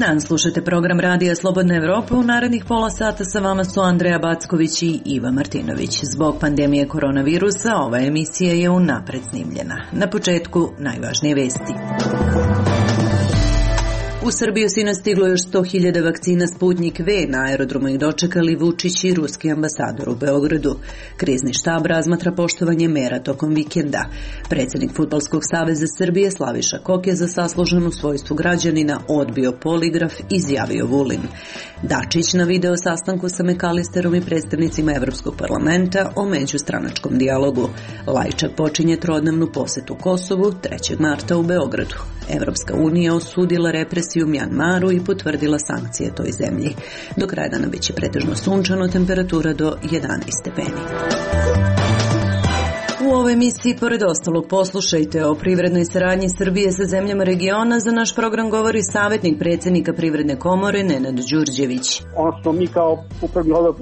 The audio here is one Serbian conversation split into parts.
dan, slušate program Radija Slobodna Evropa. U narednih pola sata sa vama su Andreja Backović i Iva Martinović. Zbog pandemije koronavirusa ova emisija je unapred snimljena. Na početku najvažnije vesti. U Srbiju sinoć stiglo još 100.000 vakcina Sputnik V, na aerodromu ih dočekali Vučić i ruski ambasador u Beogradu. Krizni štab razmatra poštovanje mera tokom vikenda. Predsjednik Fudbalskog saveza Srbije Slaviša Kok je za saslužen u svojstvu građanina odbio poligraf, izjavio Vulin. Dačić na video sastanku sa Mekalisterom i predstavnicima Evropskog parlamenta o međustranačkom dijalogu. Lajčak počinje trodnevnu posetu Kosovu 3. marta u Beogradu. Evropska unija osudila represiju u Mjanmaru i potvrdila sankcije toj zemlji. Do kraja dana biće pretežno sunčano, temperatura do 11 stepeni. U ovoj emisiji, pored ostalog, poslušajte o privrednoj saradnji Srbije sa zemljama regiona. Za naš program govori savjetnik predsjednika Privredne komore Nenad Đurđević. Ono što mi kao upravni odbor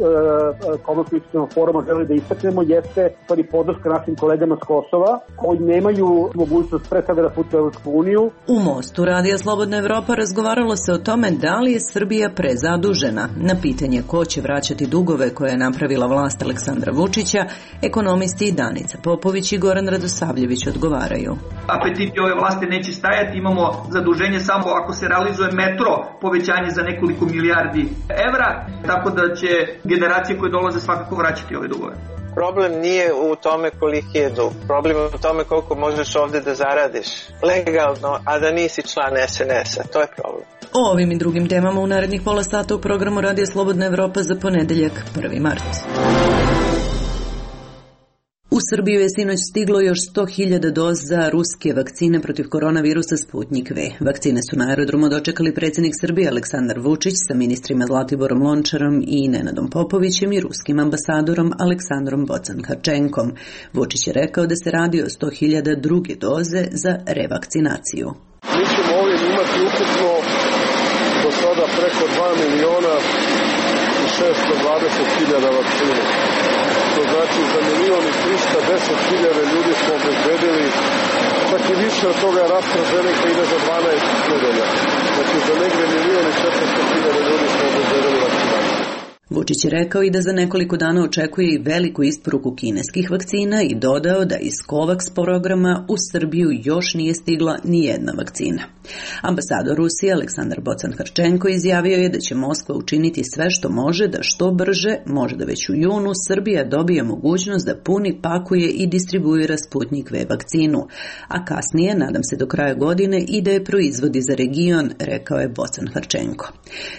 Komorskog foruma želi da istaknemo jeste podrška našim kolegama s Kosova koji nemaju mogućnost pre svega da putuju u Evropsku uniju. U Mostu Radija Slobodna Evropa razgovaralo se o tome da li je Srbija prezadužena. Na pitanje ko će vraćati dugove koje je napravila vlast Aleksandra Vučića, ekonomisti i Danica Popović i Goran Radosavljević odgovaraju. Apetiti ove vlasti neće stajati, imamo zaduženje samo ako se realizuje metro, povećanje za nekoliko milijardi evra, tako da će generacije koje dolaze svakako vraćati ove dugove. Problem nije u tome koliki je dug, problem je u tome koliko možeš ovdje da zaradiš legalno, a da nisi član SNS-a, to je problem. O ovim i drugim temama u narednih pola sata u programu Radija Slobodna Evropa za ponedeljak 1. mart. U Srbiju je sinoć stiglo još 100.000 doza ruske vakcine protiv koronavirusa Sputnik V. Vakcine su na aerodromu dočekali predsjednik Srbije Aleksandar Vučić sa ministrima Zlatiborom Lončarom i Nenadom Popovićem i ruskim ambasadorom Aleksandrom Bocan-Harčenkom. Vučić je rekao da se radi o 100.000 druge doze za revakcinaciju. Mi ćemo ovdje imati ukupno do sada preko 2.620.000 vakcina. To znači za 1.310.000 ljudi smo obezbedili, čak i više od toga AstraZeneca ide za 12 nedelja. Znači za negdje 1.400.000 ljudi smo obezbedili vakcinaciju. Vučić je rekao i da za nekoliko dana očekuje i veliku isporuku kineskih vakcina i dodao da iz COVAX programa u Srbiju još nije stigla ni jedna vakcina. Ambasador Rusije Aleksandar Bocan-Harčenko izjavio je da će Moskva učiniti sve što može da što brže, možda već u junu, Srbija dobije mogućnost da puni, pakuje i distribuira Sputnik V vakcinu, a kasnije, nadam se do kraja godine, i da je proizvodi za region, rekao je Bocan-Harčenko.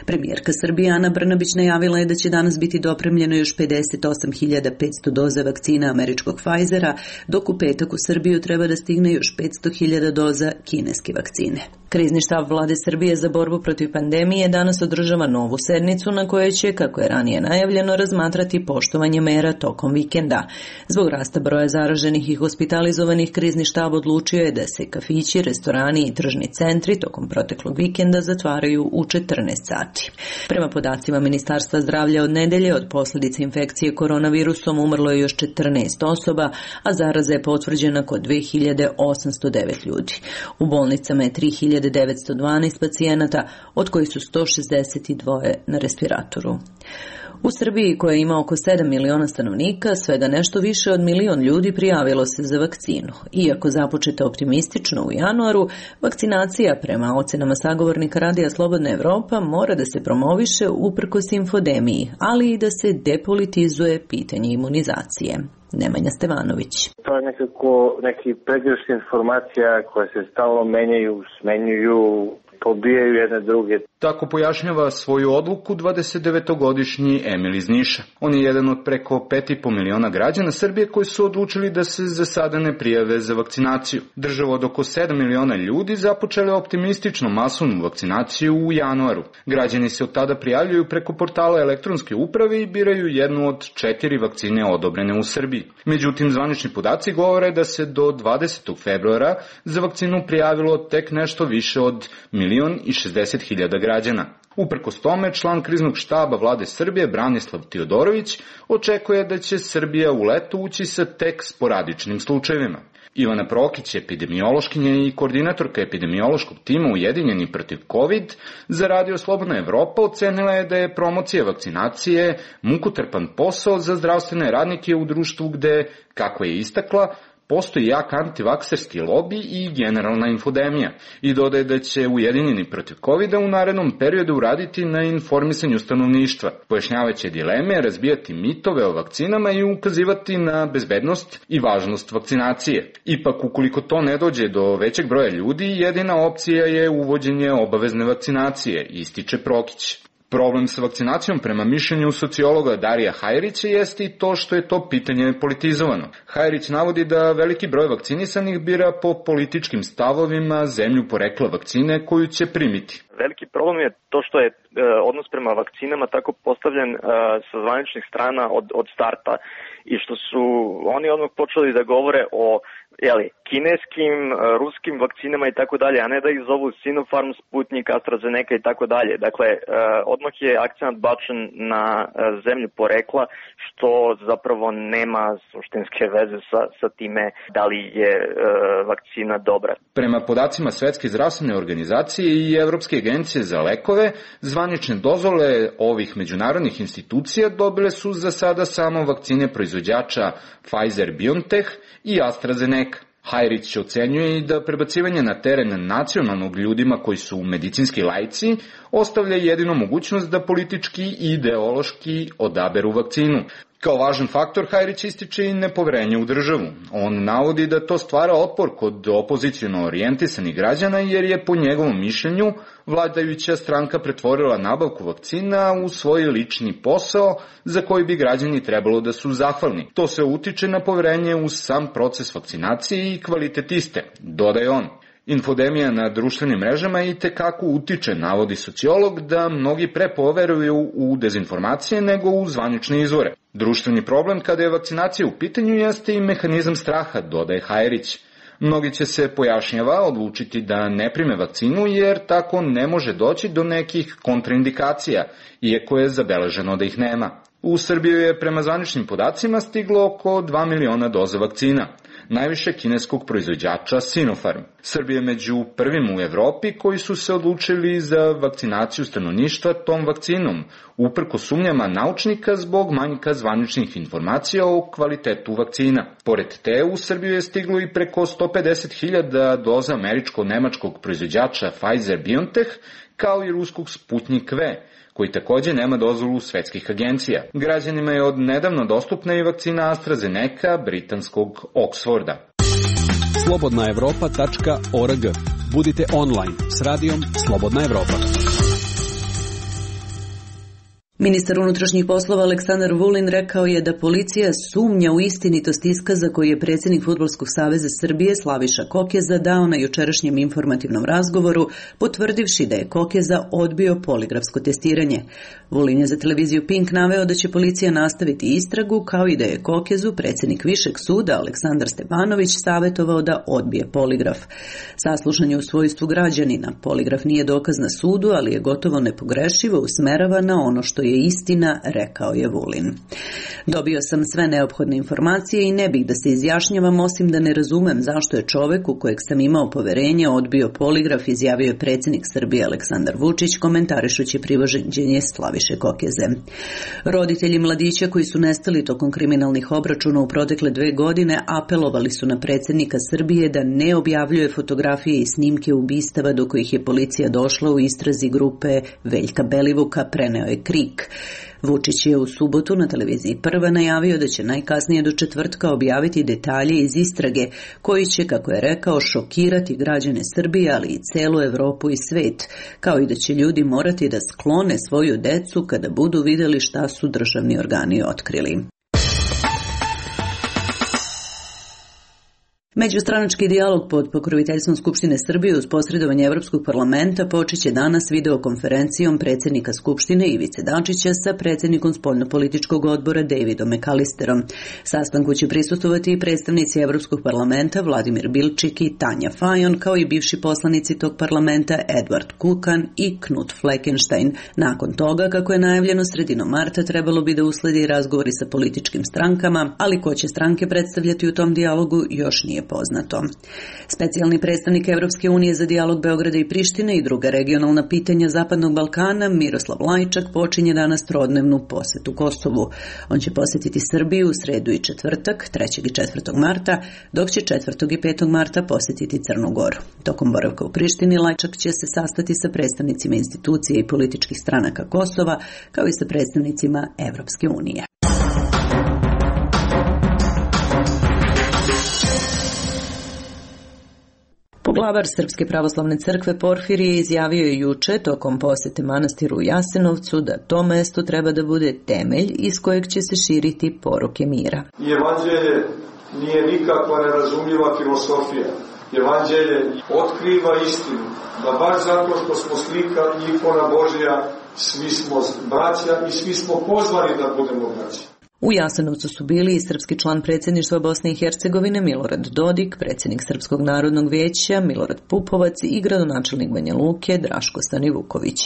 Premijerka Srbije Ana Brnabić najavila je da će danas biti dopremljeno još 58.500 doza vakcina američkog Pfizera, dok u petak u Srbiju treba da stigne još 500.000 doza kineske vakcine. Krizni štab vlade Srbije za borbu protiv pandemije danas održava novu sednicu na kojoj će, kako je ranije najavljeno, razmatrati poštovanje mera tokom vikenda. Zbog rasta broja zaraženih i hospitalizovanih, krizni štab odlučio je da se kafići, restorani i tržni centri tokom proteklog vikenda zatvaraju u 14 sati. Prema podacima Ministarstva zdravlja, od nedelje od posljedice infekcije koronavirusom umrlo je još 14 osoba, a zaraza je potvrđena kod 2.809 ljudi. U bolnicama je 3.912 pacijenata, od kojih su 162 na respiratoru. U Srbiji, koja ima oko 7 miliona stanovnika, svega nešto više od 1 milion ljudi prijavilo se za vakcinu. Iako započeta optimistično u januaru, vakcinacija, prema ocenama sagovornika Radija Slobodna Evropa, mora da se promoviše uprkos infodemiji, ali i da se depolitizuje pitanje imunizacije. Nemanja Stevanović. To je nekako neki pregršt informacija koje se stalno menjaju, smenjuju, pobijaju jedne druge. Tako pojašnjava svoju odluku 29-godišnji Emil iz Niša. On je jedan od preko 5,5 miliona građana Srbije koji su odlučili da se za sada ne prijave za vakcinaciju. Država od oko 7 miliona ljudi započela optimistično masovnu vakcinaciju u januaru. Građani se od tada prijavljuju preko portala elektronske uprave i biraju jednu od 4 vakcine odobrene u Srbiji. Međutim, zvanični podaci govore da se do 20. februara za vakcinu prijavilo tek nešto više od 1.060.000 građana. Uprkos tome, član kriznog štaba vlade Srbije Branislav Tiodorović očekuje da će Srbija u leto ući sa tek sporadičnim slučajevima. Ivana Prokić, epidemiološkinja i koordinatorka epidemiološkog tima Ujedinjeni protiv COVID, za Radio Slobodna Evropa ocenila je da je promocija vakcinacije mukotrpan posao za zdravstvene radnike u društvu gde, kako je istakla, postoji jak antivakserski lobi i generalna infodemija i dodaje da će Ujedinjeni protiv COVID-a u narednom periodu raditi na informisanju stanovništva, pojašnjavajući dileme, razbijati mitove o vakcinama i ukazivati na bezbednost i važnost vakcinacije. Ipak, ukoliko to ne dođe do većeg broja ljudi, jedina opcija je uvođenje obavezne vakcinacije, ističe Prokić. Problem sa vakcinacijom prema mišljenju sociologa Darija Hajrića jeste i to što je to pitanje politizovano. Hajrić navodi da veliki broj vakcinisanih bira po političkim stavovima zemlju porekla vakcine koju će primiti. Veliki problem je to što je odnos prema vakcinama tako postavljen sa zvaničnih strana od starta i što su oni odmah počeli da govore o kineskim, ruskim vakcinama i tako dalje, a ne da ih zovu Sinopharm, Sputnik, AstraZeneca i tako dalje. Dakle, odmah je akcent bačen na zemlju porekla, što zapravo nema suštinske veze sa time da li je vakcina dobra. Prema podacima Svetske zdravstvene organizacije i Evropske agencije za lekove, zvanične dozvole ovih međunarodnih institucija dobile su za sada samo vakcine proizvođača Pfizer-BioNTech i AstraZeneca. Hajrić ocenjuje i da prebacivanje na teren nacionalnog ljudima koji su medicinski laici ostavlja jedino mogućnost da politički i ideološki odaberu vakcinu. Kao važan faktor Hajrić ističe i nepoverenje u državu. On navodi da to stvara otpor kod opoziciono orijentisanih građana jer je po njegovom mišljenju vladajuća stranka pretvorila nabavku vakcina u svoj lični posao za koji bi građani trebalo da su zahvalni. To se utiče na poverenje u sam proces vakcinacije i kvalitet iste, dodaje on. Infodemija na društvenim mrežama i tekako utiče, navodi sociolog, da mnogi pre poveruju u dezinformacije nego u zvanične izvore. Društveni problem kada je vakcinacija u pitanju jeste i mehanizam straha, dodaje Hajrić. Mnogi će se, pojašnjava, odlučiti da ne prime vakcinu jer tako ne može doći do nekih kontraindikacija, iako je zabeleženo da ih nema. U Srbiju je prema zvaničnim podacima stiglo oko 2 miliona doza vakcina, najviše kineskog proizvođača Sinopharm. Srbija je među prvim u Evropi koji su se odlučili za vakcinaciju stanovništva tom vakcinom, uprko sumnjama naučnika zbog manjka zvaničnih informacija o kvalitetu vakcina. Pored te, u Srbiju je stiglo i preko 150.000 doza američko-nemačkog proizvođača Pfizer-BioNTech, kao i ruskog Sputnik V, koji takođe nema dozvolu svetskih agencija. Građanima je od nedavno dostupna i vakcina AstraZeneca britanskog Oxforda. slobodnaevropa.org. Budite online s radijom Slobodna Evropa. Ministar unutrašnjih poslova Aleksandar Vulin rekao je da policija sumnja u istinitost iskaza koji je predsjednik Fudbalskog saveza Srbije Slaviša Kokeza dao na jučerašnjem informativnom razgovoru, potvrdivši da je Kokeza odbio poligrafsko testiranje. Vulin je za televiziju Pink naveo da će policija nastaviti istragu, kao i da je Kokezu predsjednik Višeg suda Aleksandar Stepanović savjetovao da odbije poligraf. Saslušan je u svojstvu građanina. Poligraf nije dokaz na sudu, ali je gotovo nepogrešivo usmerava na ono što je istina, rekao je Vulin. Dobio sam sve neophodne informacije i ne bih da se izjašnjavam osim da ne razumem zašto je čovek u kojeg sam imao poverenje odbio poligraf, izjavio je predsjednik Srbije Aleksandar Vučić komentarišući privođenje Slaviše Kokeze. Roditelji mladića koji su nestali tokom kriminalnih obračuna u protekle 2 godine apelovali su na predsjednika Srbije da ne objavljuje fotografije i snimke ubistava do kojih je policija došla u istrazi grupe Veljka Belivuka, preneo je KRIK. Vučić je u subotu na televiziji Prva najavio da će najkasnije do četvrtka objaviti detalje iz istrage koji će, kako je rekao, šokirati građane Srbije, ali i celu Evropu i svet, kao i da će ljudi morati da sklone svoju decu kada budu vidjeli šta su državni organi otkrili. Međustranački dijalog pod pokroviteljstvom Skupštine Srbije uz posredovanje Evropskog parlamenta počeće danas videokonferencijom predsjednika Skupštine Ivice Dačića sa predsjednikom spoljnopolitičkog odbora Davidom McAllisterom. Sastanku će prisustvovati i predstavnici Evropskog parlamenta Vladimir Bilčik i Tanja Fajon, kao i bivši poslanici tog parlamenta Edward Kukan i Knut Fleckenstein. Nakon toga, kako je najavljeno, sredinom marta trebalo bi da usledi razgovori sa političkim strankama, ali ko će stranke predstavljati u tom dijalogu još nije nije poznato. Specijalni predstavnik Evropske unije za dijalog Beograda i Prištine i druga regionalna pitanja Zapadnog Balkana Miroslav Lajčak počinje danas trodnevnu posetu Kosovu. On će posjetiti Srbiju u sredu i četvrtak, 3. i 4. marta, dok će 4. i 5. marta posjetiti Crnu Goru. Tokom boravka u Prištini Lajčak će se sastati sa predstavnicima institucija i političkih stranaka Kosova, kao i sa predstavnicima Evropske unije. Poglavar Srpske pravoslavne crkve Porfirije izjavio je juče tokom posete manastiru u Jasenovcu da to mesto treba da bude temelj iz kojeg će se širiti poruke mira. Evanđelje nije nikakva nerazumljiva filosofija. Evanđelje otkriva istinu, da baš zato što smo slika i ikona Božja, svi smo braća i svi smo pozvani da budemo braća. U Jasenovcu su bili i srpski član predsjedništva Bosne i Hercegovine Milorad Dodik, predsjednik Srpskog narodnog vijeća Milorad Pupovac i gradonačelnik Banja Luke Draško Stanivuković.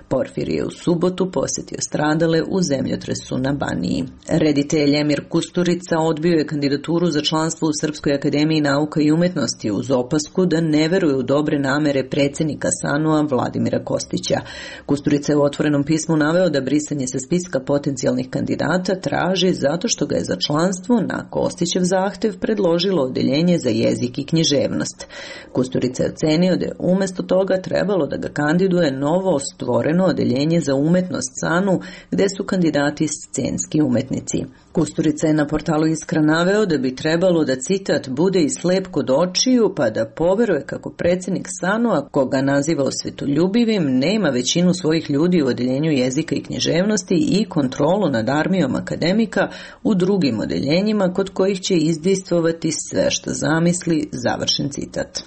Porfirije je u subotu posjetio stradale u zemljotresu na Baniji. Reditelj Emir Kusturica odbio je kandidaturu za članstvo u Srpskoj akademiji nauka i umetnosti uz opasku da ne veruje u dobre namere predsjednika SANU-a Vladimira Kostića. Kusturica je u otvorenom pismu naveo da brisanje sa spiska potencijalnih kandidata traži zato što ga je za članstvo na Kostićev zahtev predložilo Odeljenje za jezik i književnost. Kusturica je ocenio da je umjesto toga trebalo da ga kandiduje novo stvoreno Odeljenje za umetnost SANU, gde su kandidati scenski umetnici. Kusturica je na portalu Iskra naveo da bi trebalo da, citat, bude i slep kod očiju pa da poveruje kako predsjednik SANU-a, koga naziva osvetoljubivim, nema većinu svojih ljudi u Odeljenju jezika i književnosti i kontrolu nad armijom akademika u drugim odeljenjima kod kojih će izdejstvovati sve što zamisli, završen citat.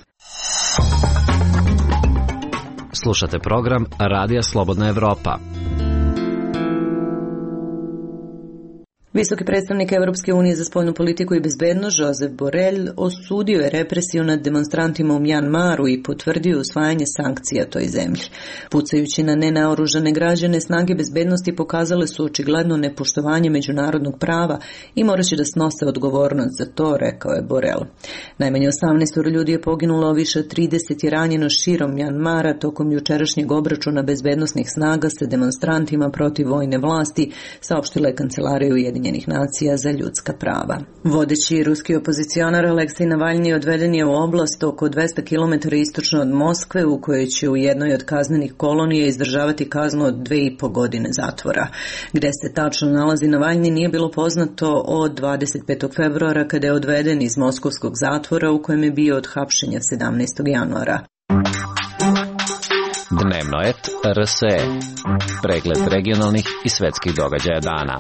Slušate program Radija Slobodna Evropa. Visoki predstavnik Evropske unije za spoljnu politiku i bezbednost Josep Borrell osudio je represiju nad demonstrantima u Mjanmaru i potvrdio usvajanje sankcija toj zemlji. Pucajući na nenaoružane građane, snage bezbednosti pokazale su očigledno nepoštovanje međunarodnog prava i morat će da snose odgovornost za to, rekao je Borrell. Najmanje 18 ljudi je poginulo, više od 30 je ranjeno širom Mjanmara tokom jučerašnjeg obračuna bezbednosnih snaga sa demonstrantima protiv vojne vlasti, saopštila je Kancelarija Ujedinjenih nacija za ljudska prava. Vodeći ruski opozicionar Aleksej Navalni odveden je u oblast oko 200 km istočno od Moskve, u kojoj će u jednoj od kaznenih kolonija izdržavati kaznu od 2,5 godine zatvora. Gde se tačno nalazi Navalni nije bilo poznato od 25. februara kada je odveden iz moskovskog zatvora u kojem je bio od hapšenja 17. januara. Dnevno et RSE. Pregled regionalnih i svetskih događaja dana.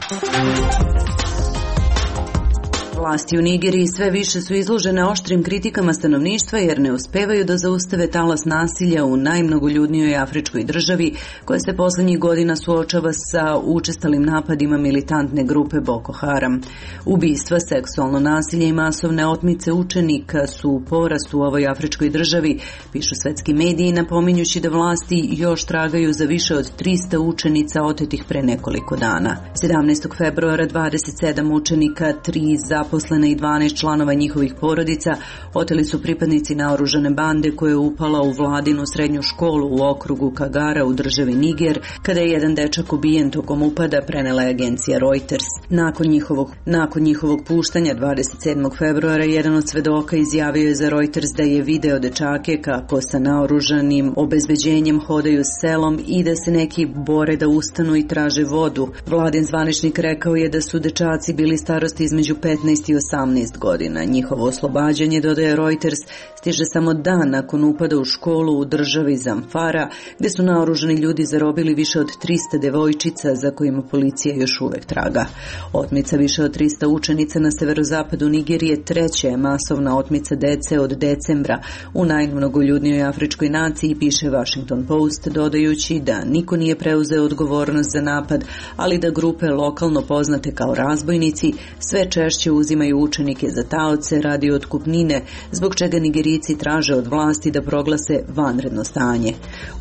Vlasti u Nigeriji sve više su izložene oštrim kritikama stanovništva jer ne uspevaju da zaustave talas nasilja u najmnogoljudnijoj afričkoj državi koja se poslednjih godina suočava sa učestalim napadima militantne grupe Boko Haram. Ubistva, seksualno nasilje i masovne otmice učenika su u porastu u ovoj afričkoj državi, pišu svetski mediji napominjući da vlasti još tragaju za više od 300 učenica otetih pre nekoliko dana. 17. februara 27 učenika, 3 zaposlene i 12 članova njihovih porodica oteli su pripadnici naoružane bande koja je upala u vladinu srednju školu u okrugu Kagara u državi Niger, kada je jedan dečak ubijen tokom upada, prenela je agencija Reuters. Nakon njihovog puštanja 27. februara jedan od svedoka izjavio je za Reuters da je video dečake kako sa naoružanim obezbeđenjem hodaju selom i da se neki bore da ustanu i traže vodu. Vladin zvaničnik rekao je da su dečaci bili starosti između 15 i 18 godina. Njihovo oslobađanje, dodaje Reuters, stiže samo dan nakon upada u školu u državi Zamfara, gde su naoružani ljudi zarobili više od 300 devojčica za kojima policija još uvek traga. Otmica više od 300 učenica na severozapadu Nigerije treća je masovna otmica dece od decembra u najmnogoljudnijoj afričkoj naciji, piše Washington Post, dodajući da niko nije preuzeo odgovornost za napad, ali da grupe lokalno poznate kao razbojnici sve češće uzimaju uzimaju učenike za taoce radi otkupnine, zbog čega Nigerijci traže od vlasti da proglase vanredno stanje.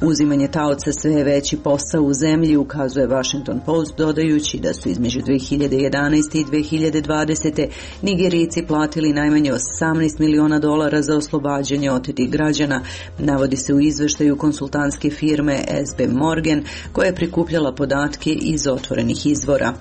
Uzimanje taoca sve je veći posao u zemlji, ukazuje Washington Post, dodajući da su između 2011. i 2020. Nigerijci platili najmanje $18 miliona za oslobađanje otetih građana, navodi se u izveštaju konsultantske firme SB Morgan, koja je prikupljala podatke iz otvorenih izvora.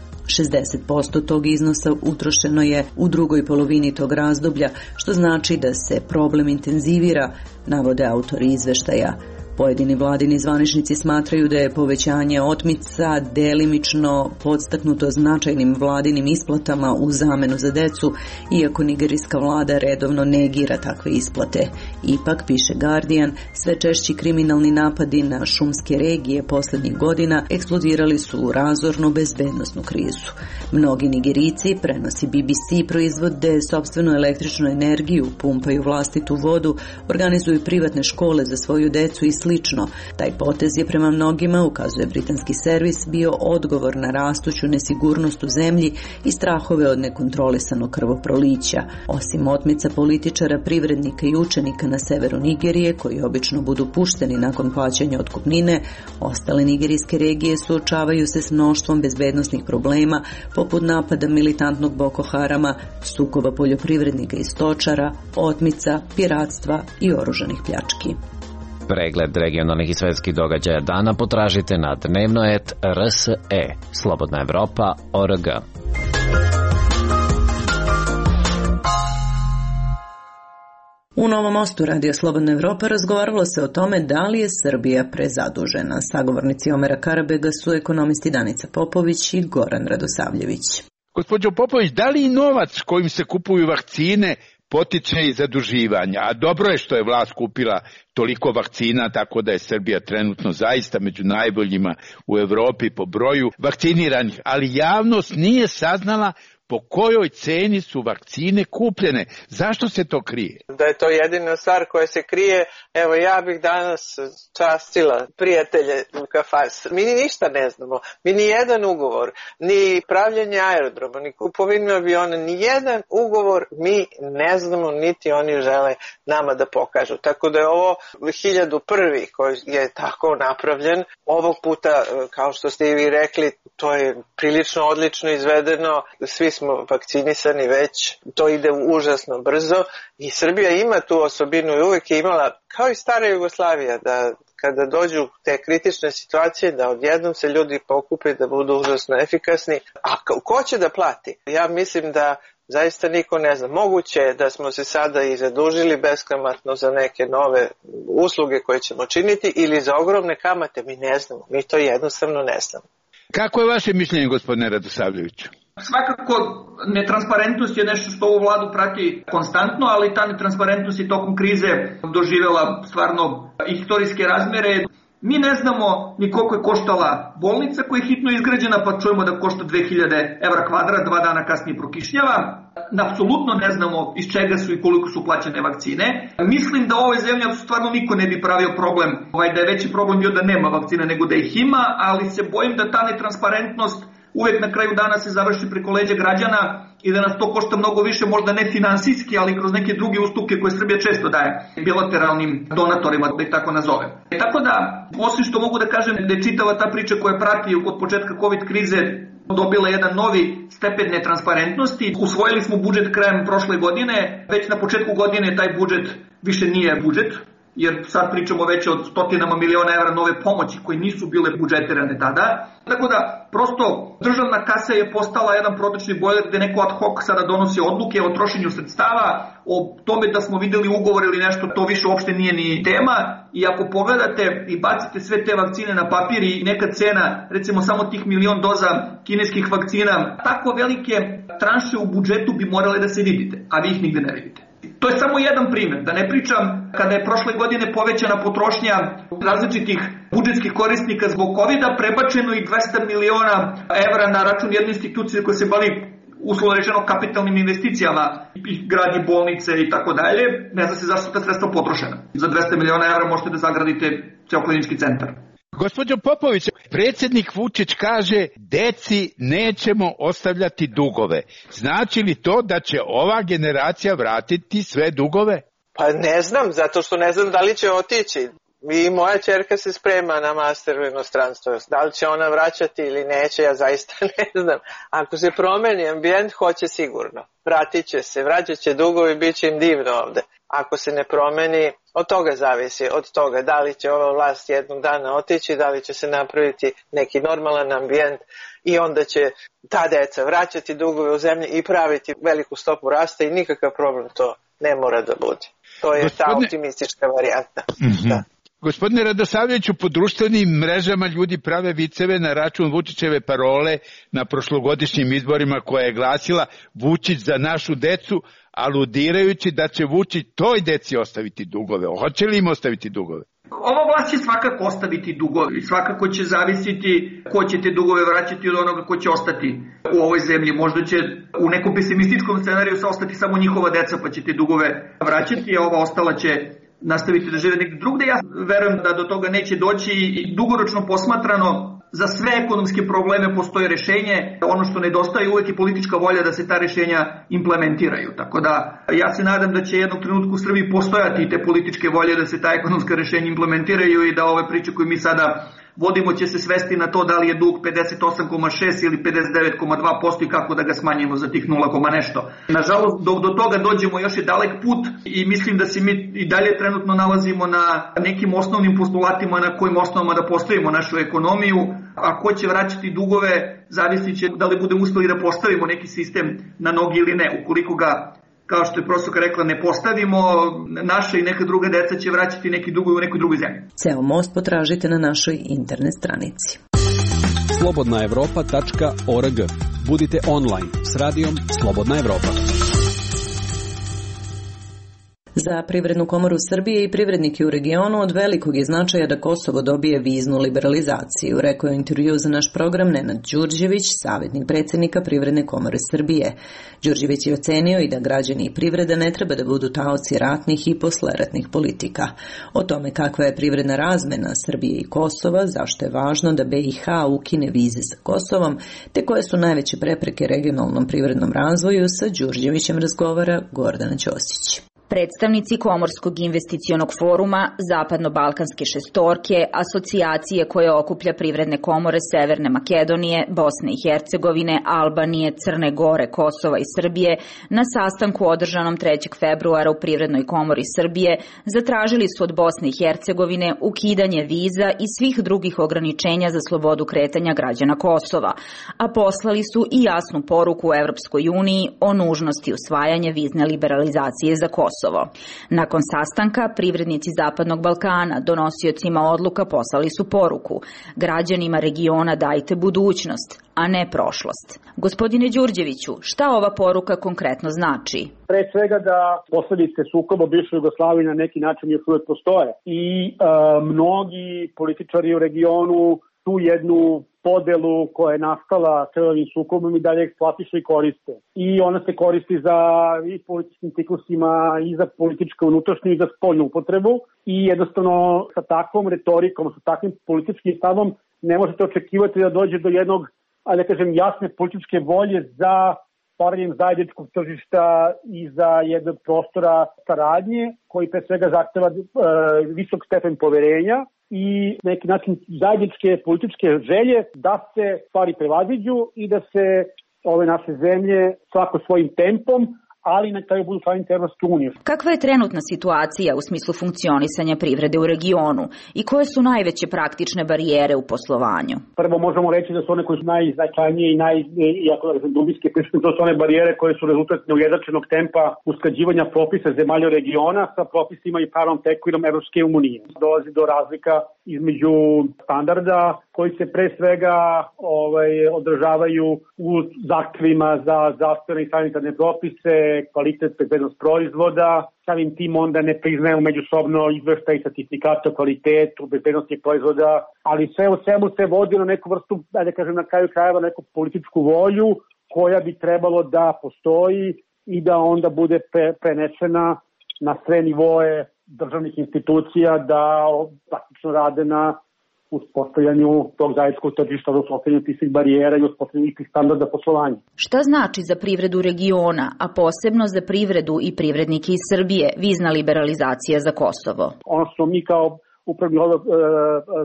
60% tog iznosa utrošeno je u drugoj polovini tog razdoblja, što znači da se problem intenzivira, navode autori izveštaja. Pojedini vladini zvaničnici smatraju da je povećanje otmica delimično podstaknuto značajnim vladinim isplatama u zamenu za decu, iako nigerijska vlada redovno negira takve isplate. Ipak, piše Guardian, sve češći kriminalni napadi na šumske regije poslednjih godina eksplodirali su u razornu bezbednosnu krizu. Mnogi Nigerijci, prenosi BBC, proizvode sopstvenu električnu energiju, pumpaju vlastitu vodu, organizuju privatne škole za svoju decu i slično. Taj potez je prema mnogima, ukazuje britanski servis, bio odgovor na rastuću nesigurnost u zemlji i strahove od nekontrolisanog krvoprolića. Osim otmica političara, privrednika i učenika na severu Nigerije, koji obično budu pušteni nakon plaćanja otkupnine, ostale nigerijske regije suočavaju se s mnoštvom bezbednosnih problema, poput napada militantnog Boko Harama, sukoba poljoprivrednika i stočara, otmica, piratstva i oružanih pljački. Pregled regionalnih i svetskih događaja dana potražite na dnevnoet.rse, Slobodna Evropa.org. U Novom Mostu Radio Slobodna Evropa razgovaralo se o tome da li je Srbija prezadužena. Sagovornici Omera Karabega su ekonomisti Danica Popović i Goran Radosavljević. Gospođo Popović, da li novac kojim se kupuju vakcine potiče i zaduživanja? A dobro je što je vlast kupila toliko vakcina, tako da je Srbija trenutno zaista među najboljima u Evropi po broju vakciniranih, ali javnost nije saznala po kojoj ceni su vakcine kupljene. Zašto se to krije? Da je to jedina stvar koja se krije. Evo, ja bih danas častila prijatelje u kafas. Mi ništa ne znamo. Mi ni jedan ugovor, ni pravljenje aerodroma, ni kupovinu aviona, ni jedan ugovor mi ne znamo, niti oni žele nama da pokažu. Tako da je ovo 1001. koji je tako napravljen. Ovog puta, kao što ste i vi rekli, to je prilično odlično izvedeno. Svi smo vakcinisani već, to ide užasno brzo i Srbija ima tu osobinu i uvek je imala, kao i stara Jugoslavija, da kada dođu te kritične situacije, da odjednom se ljudi pokupe da budu užasno efikasni. A ko će da plati? Ja mislim da zaista niko ne zna. Moguće je da smo se sada i zadužili beskamatno za neke nove usluge koje ćemo činiti ili za ogromne kamate, mi ne znamo. Mi to jednostavno ne znamo. Kako je vaše mišljenje, gospodine Radosavljeviću? Svakako, netransparentnost je nešto što ovu vladu prati konstantno, ali ta netransparentnost je tokom krize doživjela stvarno istorijske razmere. Mi ne znamo ni koliko je koštala bolnica koja je hitno izgrađena, pa čujemo da košta 2000 evra kvadrat, 2 dana kasnije prokišnjava. Apsolutno ne znamo iz čega su i koliko su plaćene vakcine. Mislim da u ovoj zemlji stvarno niko ne bi pravio problem, da je veći problem bio da nema vakcina nego da ih ima, ali se bojim da ta netransparentnost uvek na kraju dana se završi preko leđa građana i da nas to košta mnogo više, možda ne finansijski, ali kroz neke druge ustupke koje Srbija često daje bilateralnim donatorima, da ih tako nazovem. Tako da, osim što mogu da kažem da je čitava ta priča koja prati od početka COVID krize dobila jedan novi stepen netransparentnosti. Usvojili smo budžet krajem prošle godine, već na početku godine taj budžet više nije budžet, jer sad pričamo već o stotinama miliona evra nove pomoći koje nisu bile budžetirane tada. Tako da, prosto, državna kasa je postala jedan protočni bojler gde neko ad hoc sada donosi odluke o trošenju sredstava, o tome da smo videli ugovor ili nešto, to više uopšte nije ni tema. I ako pogledate i bacite sve te vakcine na papir i neka cena, recimo samo tih 1.000.000 doza kineskih vakcina, tako velike tranše u budžetu bi morale da se vidite, a vi ih nigde ne vidite. To je samo jedan primjer, da ne pričam kada je prošle godine povećana potrošnja različitih budžetskih korisnika zbog COVID-a, prebačeno i 200 miliona evra na račun jedne institucije koja se bavi uslovno rečeno kapitalnim investicijama, gradi bolnice i tako dalje. Ne zna se zašto ta sredstva potrošena. Za 200 miliona evra možete da zagradite ceo klinički centar. Gospođo Popović, predsjednik Vučić kaže deci nećemo ostavljati dugove. Znači li to da će ova generacija vratiti sve dugove? Pa ne znam, zato što ne znam da li će otići. I moja ćerka se sprema na master u inostranstvo. Da li će ona vraćati ili neće, ja zaista ne znam. Ako se promeni ambijent, hoće sigurno. Vratit će se, vraćat će dugovi, bit će im divno ovde. Ako se ne promeni, od toga zavisi, od toga da li će ova vlast jednog dana otići, da li će se napraviti neki normalan ambijent i onda će ta deca vraćati dugove u zemlji i praviti veliku stopu rasta i nikakav problem to ne mora da bude. To je ta optimistička varijanta. Da. Gospodine Radosavljeviću, po društvenim mrežama ljudi prave viceve na račun Vučićeve parole na prošlogodišnjim izborima koja je glasila Vučić za našu decu, aludirajući da će Vučić toj deci ostaviti dugove. Hoće li im ostaviti dugove? Ova vlast će svakako ostaviti dugove i svakako će zavisiti ko će te dugove vraćati od onoga ko će ostati u ovoj zemlji. Možda će u nekom pesimističkom scenariju ostati samo njihova deca pa će te dugove vraćati, a ova ostala će nastaviti da žive negdje drugde. Ja verujem da do toga neće doći i dugoročno posmatrano za sve ekonomske probleme postoji rešenje. Ono što nedostaje uvek je politička volja da se ta rešenja implementiraju. Tako da ja se nadam da će jednog trenutka u Srbiji postojati te političke volje da se ta ekonomska rešenja implementiraju i da ove priče koje mi sada vodimo će se svesti na to da li je dug 58,6 ili 59,2% i kako da ga smanjimo za tih 0, nešto. Nažalost, dok do toga dođemo još je dalek put i mislim da se mi i dalje trenutno nalazimo na nekim osnovnim postulatima na kojim osnovama da postavimo našu ekonomiju. A ko će vraćati dugove, zavisit će da li budemo uspeli da postavimo neki sistem na nogi ili ne. Ukoliko ga, kao što je profesorka rekla, ne postavimo, naša i neka druga deca će vraćati neki dugovi u nekoj drugoj zemlji. Ceo most potražite na našoj internet stranici. slobodnaevropa.org. Budite online s radijom Slobodna Evropa. Za Privrednu komoru Srbije i privrednike u regionu od velikog je značaja da Kosovo dobije viznu liberalizaciju, rekao je u intervju za naš program Nenad Đurđević, savjetnik predsjednika Privredne komore Srbije. Đurđević je ocenio i da građani i privreda ne treba da budu taoci ratnih i posleratnih politika. O tome kakva je privredna razmena Srbije i Kosova, zašto je važno da BiH ukine vize sa Kosovom, te koje su najveće prepreke regionalnom privrednom razvoju, sa Đurđevićem razgovara Gordana Ćosić. Predstavnici Komorskog investicionog foruma, Zapadno-Balkanske šestorke, asocijacije koje okuplja privredne komore Severne Makedonije, Bosne i Hercegovine, Albanije, Crne Gore, Kosova i Srbije na sastanku održanom 3. februara u Privrednoj komori Srbije zatražili su od Bosne i Hercegovine ukidanje viza i svih drugih ograničenja za slobodu kretanja građana Kosova, a poslali su i jasnu poruku u Evropskoj uniji o nužnosti usvajanja vizne liberalizacije za Kosovo. Nakon sastanka, privrednici Zapadnog Balkana donosiocima odluka poslali su poruku: građanima regiona dajte budućnost, a ne prošlost. Gospodine Đurđeviću, šta ova poruka konkretno znači? Pre svega da posledice sukoba bivše Jugoslavije na neki način još uvek postoje i mnogi političari u regionu tu jednu podelu koja je nastala krvavim sukobom i dalje eksploatišu i koriste. I ona se koristi za i političkim ciklusima i za političku unutrašnju i za spoljnu upotrebu i jednostavno sa takvom retorikom, sa takvim političkim stavom ne možete očekivati da dođe do jednog, da kažem, jasne političke volje za stvaranjem zajedničkog tržišta i za jednog prostora saradnje koji pre svega zahteva visok stepen poverenja i neki način zajedničke političke želje da se stvari prevaziđu i da se ove naše zemlje svako svojim tempom, ali na kraju budu članice Evropske unije. Kakva je trenutna situacija u smislu funkcionisanja privrede u regionu i koje su najveće praktične barijere u poslovanju? Prvo možemo reći da su one koje su najznačajnije i iako dubinske prisutne, to su one barijere koje su rezultat neujednačenog tempa usklađivanja propisa zemalja regiona sa propisima i pravnom tekovinom Evropske unije. Dolazi do razlika između standarda koji se pre svega održavaju u zahtevima za zdravstvene i sanitarne propise, kvalitet, bezbednost proizvoda, samim tim onda ne priznaju međusobno izveštaj i sertifikate o kvalitetu, bezbednosti proizvoda, ali sve u svemu se vodi na neku vrstu, da kažem na kraju krajeva, neku političku volju koja bi trebalo da postoji i da onda bude prenešena na sve nivoe državnih institucija da praktično rade na uspostavljanju tog zajedničkog tržišta, uspostavljanju tih barijera i uspostavljanju tih standarda poslovanja. Šta znači za privredu regiona, a posebno za privredu i privrednike iz Srbije, vizna liberalizacija za Kosovo? Ono što mi kao upravni odbor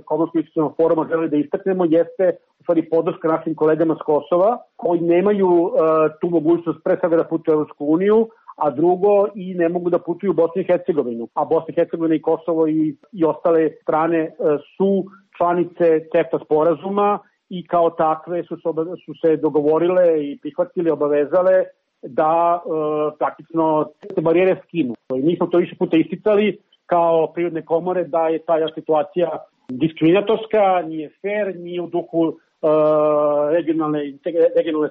Komorsko-investicionog foruma želi da istaknemo jeste u stvari podrška našim kolegama s Kosova koji nemaju tu mogućnost pre svega da putuju u Evropsku uniju, a drugo i ne mogu da putuju u Bosnu i Hercegovinu. A Bosna i Hercegovina i Kosovo i ostale strane su članice CEFTA sporazuma i kao takve su se dogovorile i prihvatile, obavezale da praktično te barijere skinu. Mi smo to više puta isticali kao privredne komore da je ta situacija diskriminatorska, nije fair, nije u duhu regionalne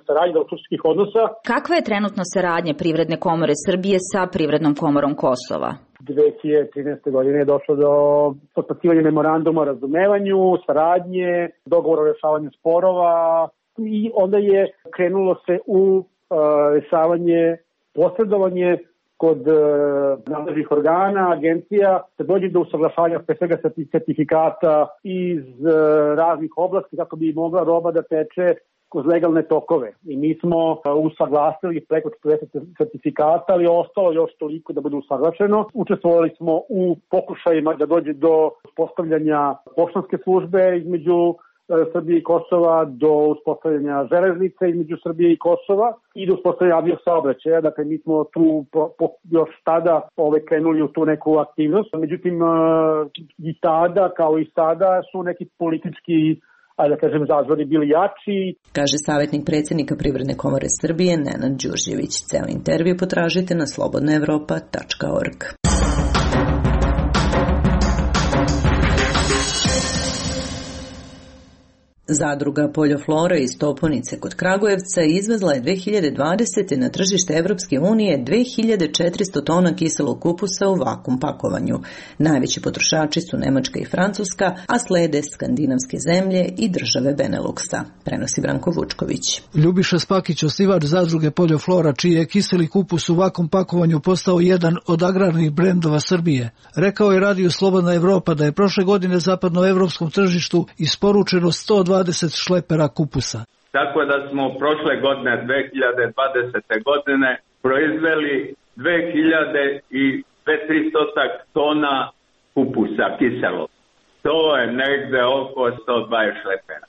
saradnje, dobrosusedskih odnosa. Kakva je trenutno saradnja Privredne komore Srbije sa Privrednom komorom Kosova? 2013. godine je došlo do potpisivanja memoranduma o razumevanju, saradnje, dogovora o rešavanju sporova i onda je krenulo se u rešavanje, posredovanje kod nadležnih organa, agencija, da dođe do usaglašavanja pre svega sertifikata iz raznih oblasti kako bi mogla roba da teče kroz legalne tokove. I mi smo usaglasili preko 40 sertifikata, ali ostalo još toliko da bude usaglašeno. Učestvovali smo u pokušajima da dođe do uspostavljanja poštanske službe između Srbije i Kosova, do uspostavljanja železnice između Srbije i Kosova i do uspostavljanja aviosaobraćaja. Dakle, mi smo tu još tada krenuli u tu neku aktivnost. Međutim, i tada, kao i sada, su neki politički zazori bili jači. Kaže savjetnik predsjednika Privredne komore Srbije Nenad Đurđević. Ceo intervju potražite na slobodnaevropa.org. Zadruga Poljoflora iz Toponice kod Kragujevca izvezla je 2020. na tržište Evropske unije 2400 tona kiselog kupusa u vakum pakovanju. Najveći potrošači su Nemačka i Francuska, a slede skandinavske zemlje i države Beneluksa, prenosi Branko Vučković. Ljubiša Spakić, osnivač zadruge Poljoflora, čiji je kiseli kupus u vakum pakovanju postao jedan od agrarnih brendova Srbije, rekao je Radio Slobodna Evropa da je prošle godine zapadnoevropskom tržištu isporučeno 120 šlepera kupusa. Tako da smo prošle godine, 2020. godine, proizveli 2300 tona kupusa kiselog. To je negde oko 120 šlepera.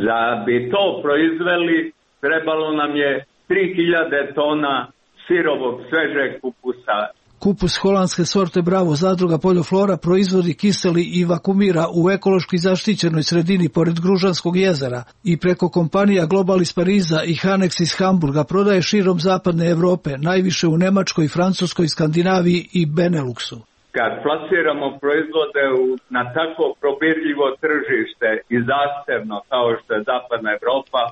Da bi to proizveli, trebalo nam je 3000 tona sirovog svežeg kupusa. Kupus holandske sorte Bravo zadruga Poljoflora proizvodi kiseli i vakumira u ekološki zaštićenoj sredini pored Gružanskog jezera i preko kompanija Global iz Pariza i Hanex iz Hamburga prodaje širom zapadne Evrope, najviše u Nemačkoj, Francuskoj, Skandinaviji i Beneluksu. Kad plasiramo proizvode na tako probirljivo tržište i zahtevno kao što je zapadna Evropa,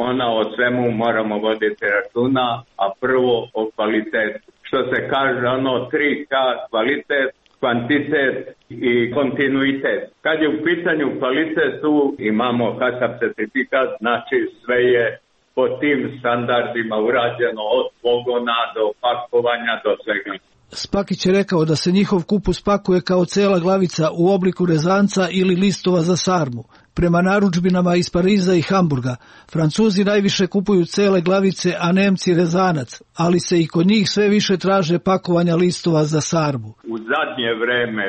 ona o svemu moramo voditi računa, a prvo o kvalitetu. Što se kaže 3K, kvalitet, kvantitet i kontinuitet. Kad je u pitanju kvalitet, tu imamo HACCP certifikat, znači sve je po tim standardima urađeno od pogona do pakovanja do svega. Spakić je rekao da se njihov kupus pakuje kao cela glavica u obliku rezanca ili listova za sarmu. Prema narudžbinama iz Pariza i Hamburga, Francuzi najviše kupuju cele glavice, a Nemci rezanac, ali se i kod njih sve više traže pakovanja listova za sarmu. U zadnje vreme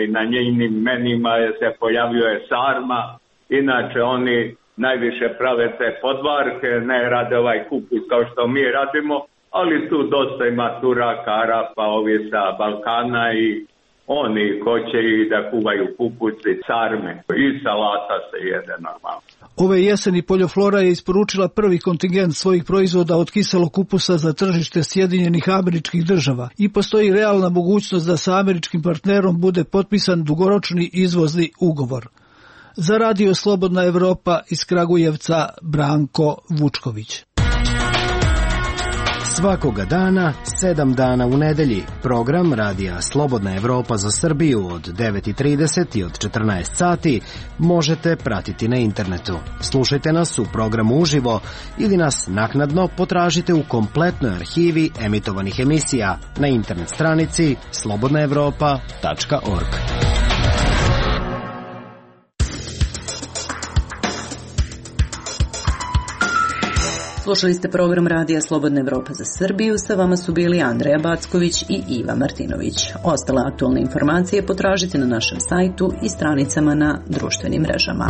i na njenim menima se pojavljuje sarma, inače oni najviše prave te podvarke, ne rade ovaj kupus kao što mi radimo, ali tu dosta ima Turaka, Arapa, ovi sa Balkana i oni hoće i da kuvaju kupuci, sarme i salata se jede normalno. Ove jeseni Poljoflora je isporučila prvi kontingent svojih proizvoda od kiselog kupusa za tržište Sjedinjenih Američkih Država i postoji realna mogućnost da sa američkim partnerom bude potpisan dugoročni izvozni ugovor. Za Radio Slobodna Evropa iz Kragujevca Branko Vučković. Svakoga dana, 7 dana u nedelji, program Radija Slobodna Evropa za Srbiju od 9:30 i od 14 sati možete pratiti na internetu. Slušajte nas u programu uživo ili nas naknadno potražite u kompletnoj arhivi emitovanih emisija na internet stranici slobodnaevropa.org. Slušali ste program Radija Slobodna Evropa za Srbiju, sa vama su bili Andreja Backović i Iva Martinović. Ostale aktualne informacije potražite na našem sajtu i stranicama na društvenim mrežama.